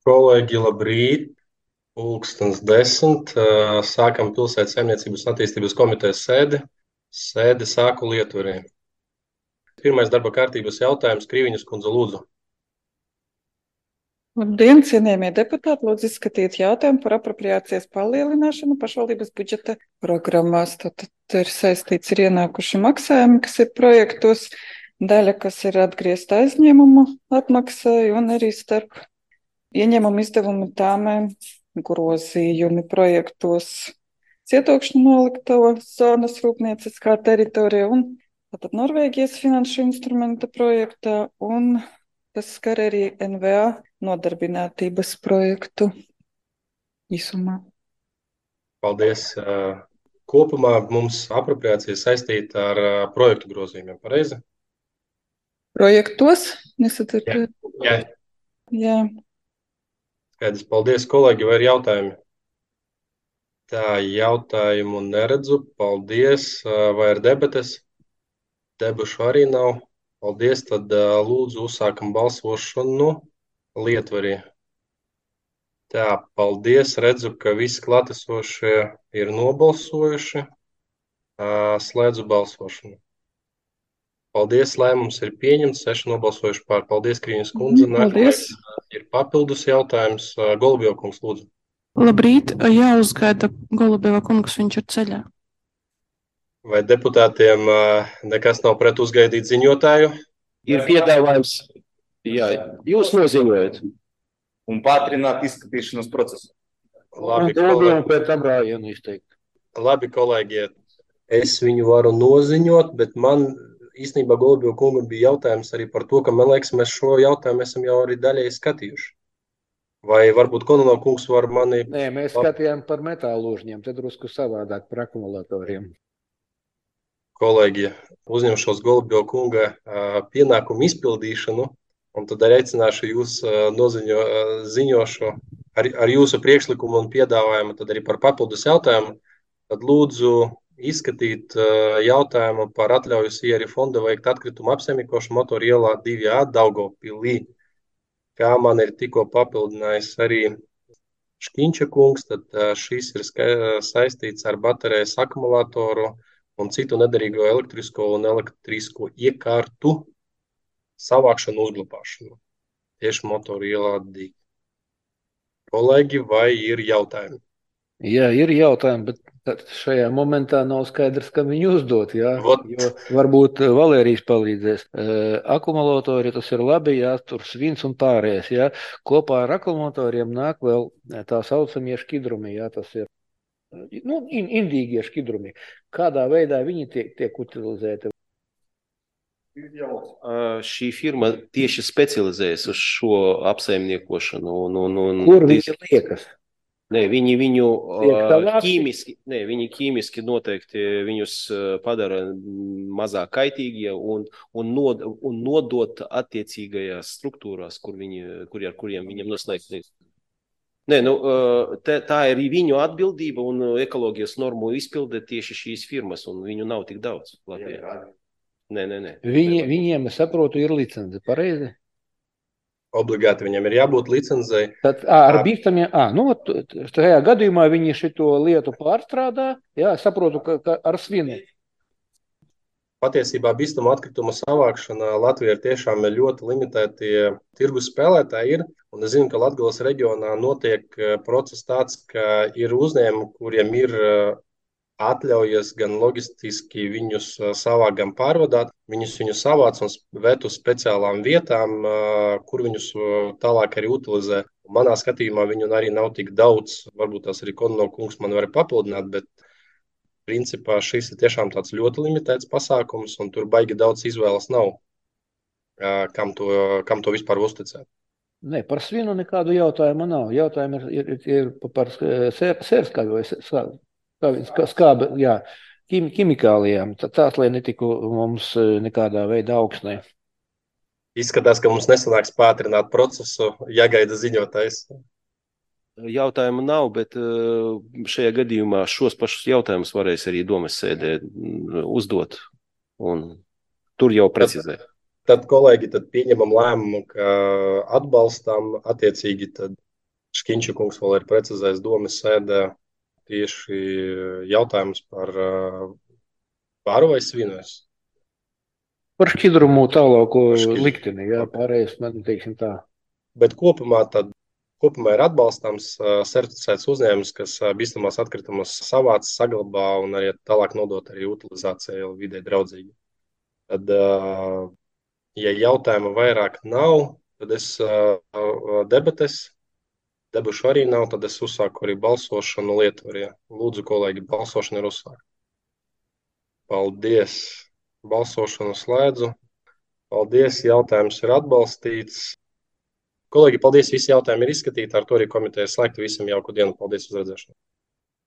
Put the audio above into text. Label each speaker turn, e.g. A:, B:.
A: Kolēģi, labrīt! Pulkstens 10. Sākam Pilsētas saimniecības un attīstības komitejas sēdi. Sēdi sāku Lietuvā. Pirmais darba kārtības jautājums - Krīviņas kundze, lūdzu.
B: Labdien, cienījamie deputāti! Lūdzu izskatīt jautājumu par apropriācijas palielināšanu pašvaldības budžeta programmās. Tātad ir saistīts ar ienākuši maksājumi, kas ir projektos, daļa, kas ir atgriezta aizņēmumu atmaksai un arī starp ieņēmumu izdevumu tāmēm grozījumi projektos Cietokšņu noliktava zonas rūpnieciskā teritorija un tātad Norvēģijas finanšu instrumenta projektā un tas skar arī NVA nodarbinātības projektu īsumā.
A: Paldies! Kopumā mums apropriācija saistīta ar projektu grozījumiem, pareizi?
B: Projektos? Nesadzirdēt?
A: Jā.
B: Jā.
A: Skaidrs, paldies, kolēģi, vai ir jautājumi? Tā, jautājumu neredzu. Paldies, vai ir debates? Debašu arī nav. Paldies, tad lūdzu uzsākam balsošanu Lietuvā. Tā, paldies. Redzu, ka visi klātesošie ir nobalsojuši. Slēdzu balsošanu. Paldies, lēmums ir pieņemts. 6 nobalsojuši pār. Paldies, Krīņas kundze.
B: Paldies.
A: Nākamais ir papildus jautājums. Golubjeva kungs, lūdzu.
C: Labrīt, jāuzgaida Golubjeva kungs, viņš ir ceļā.
A: Vai deputātiem nekas nav pret uzgaidīt ziņotāju?
D: Ir piedāvājums, jā, jūs noziņojat un pātrināt izskatīšanas procesu.
A: Labi,
D: Golubjevam pēc tam rājienu izteikt.
A: Labi, kolēģi, es viņu varu noziņot, bet man īstenībā Golubjeva kungam bija jautājums arī par to, ka, man liekas, mēs šo jautājumu esam jau arī daļēji skatījuši. Vai varbūt Kononov kungs var mani...
E: Nē, mēs skatījām par metālūžņiem, tad drusku savādāk par akumulatoriem.
A: Kolēģi, uzņemšos Golubjeva kunga pienākumu izpildīšanu, un tad arī aicināšu jūs ziņošu ar jūsu priekšlikumu un piedāvājumu, tad arī par papildus jautājumu. Tad lūdzu izskatīt jautājumu par atļauju Sierra fonda veikt atkritumu apsaimniekošanu motoru ielā 2A Daugavpilī. Kā man ir tikko papildinājis arī Škiņča kungs, tad šis ir saistīts ar baterijas akumulātoru un citu nederīgo elektrisko un elektrisko iekārtu savākšanu, uzglabāšanu. Tieši motoru ielā 2. Kolēģi, vai ir jautājumi?
E: Jā, ir jautājumi, bet šajā momentā nav skaidrs, kam viņu uzdot. Jā? Jo varbūt Valērijas palīdzēs. Akumulatori tas ir labi, jā, tur svins un pārējais. Jā? Kopā ar akumulatoriem nāk vēl tā saucamie šķidrumi. Jā, tas ir indīgie šķidrumi. Kādā veidā viņi tiek utilizēti?
D: Šī firma tieši specializējas uz šo apsaimniekošanu.
E: Kur viņi liekas?
D: Nē, viņi viņu ķīmiski noteikti viņus padara mazāk kaitīgie un nodot attiecīgajās struktūrās, ar kuriem viņam noslēgt. Nē, tā ir viņu atbildība un ekoloģijas normu izpilde tieši šīs firmas, un viņu nav tik daudz Latvijā. Nē.
E: Viņiem, es saprotu, ir licence, pareizi?
A: Obligāti viņam ir jābūt licencei.
E: Tad ar bīstamiem, tajā gadījumā viņi šito lietu pārstrādā, jā, saprotu, ka ar svinu.
A: Patiesībā bīstamu atkritumu savākšanā Latvijā ir tiešām ļoti limitēti tirgus spēlētāji ir. Un es zinu, ka Latgales reģionā notiek process tāds, ka ir uzņēmumi, kuriem ir atļaujas gan loģistiski viņus savākt, gan pārvadāt. Viņus savāc un ved uz speciālām vietām, kur viņus tālāk arī utilizē. Manā skatījumā viņu arī nav tik daudz. Varbūt tās arī Kononov kungs man var papildināt, bet principā šis ir tiešām tāds ļoti limitēts pasākums, un tur baigi daudz izvēles nav, kam to vispār uzticēt.
E: Nē, par svinu nekādu jautājumu nav. Jautājumi ir par sērskābi vai skābi, jā, ķimikālijām. Tās, lai netiku mums nekādā veidā augsnē.
A: Izskatās, ka mums nesanāks pātrināt procesu, jāgaida ziņotājs.
D: Jautājumu nav, bet šajā gadījumā šos pašus jautājumus varēs arī domas sēdē uzdot, un tur jau precizē.
A: Tad, kolēģi, pieņemam lēmumu, ka atbalstam attiecīgi tad Škiņša kungs vēl ir precizējis domas sēdē tieši jautājums par varu vai svinu.
E: Par šķidrumu tālāko
A: Par šķidrumu.
E: likteni, jā, pārējais man teiksim tā.
A: Bet kopumā ir atbalstāms certificēts uzņēmums, kas bīstamās atkritumus savāc, saglabā un arī tālāk nodot arī utilizācijai vidē draudzīgi. Tad, ja jautājumu vairāk nav, tad es debašu arī nav, tad es uzsāku arī balsošanu Lietuvā. Lūdzu, kolēģi, balsošana ir uzsākta. Paldies! Balsošanu slēdzu. Paldies, jautājums ir atbalstīts. Kolēģi, paldies, visi jautājumi ir izskatīti. Ar to arī komiteja slēgta. Visiem jauku dienu. Paldies uz redzēšanu.